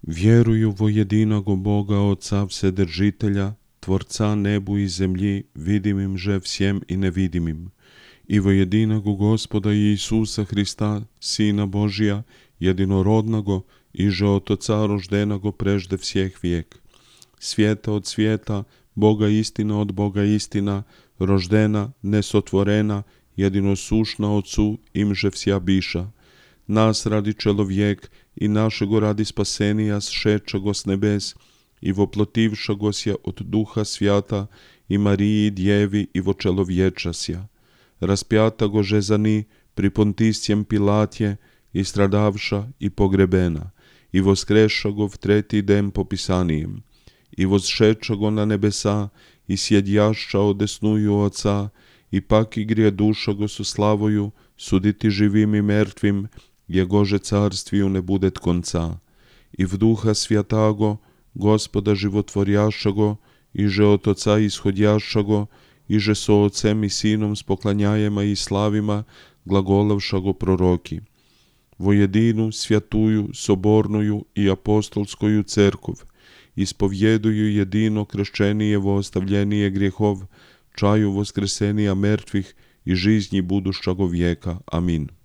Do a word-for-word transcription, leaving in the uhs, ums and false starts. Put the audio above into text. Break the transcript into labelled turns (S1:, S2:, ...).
S1: Vjeruju vo jedinago Boga Oca Vsedržitelja, Tvorca nebu i zemlji, vidimim že всем i nevidimim, i vo jedinago Gospoda Isusa Hrista, Sina Božija, jedinorodnago, iže od Oca roždenago prežde всех vijek, svijeta od svijeta, Boga istina od Boga istina, roždena, nesotvorena, jedinosušna Otcu, imže vsja biša, nas radi čelovjek i našego radi spasenija sšečago s nebes i voplotivšago sja od Duha Svjata i Mariji Djevi i vo čelovječasja, raspjatago že za ni pri Pontiscijem Pilatje i stradavša i pogrebena i voskrešago v treti den po pisanijem i vosšečago na nebesa i sjedjašća odesnuju Oca i pak igrije dušago su slavoju suditi živim i mrtvim, jegože carstviju ne budet konca, i v Duha Svjatago, Gospoda životvorjašago, iže od Oca ishodjašago, iže so Ocem i Sinom spoklanjajema i slavima, glagolavšago proroki. Vo jedinu, svjatuju, sobornuju i apostolskoju cerkov, ispovjeduju jedino kršćenijevo ostavljenije grijehov, čaju voskresenija mrtvih i žiznji budušago vijeka. Amin.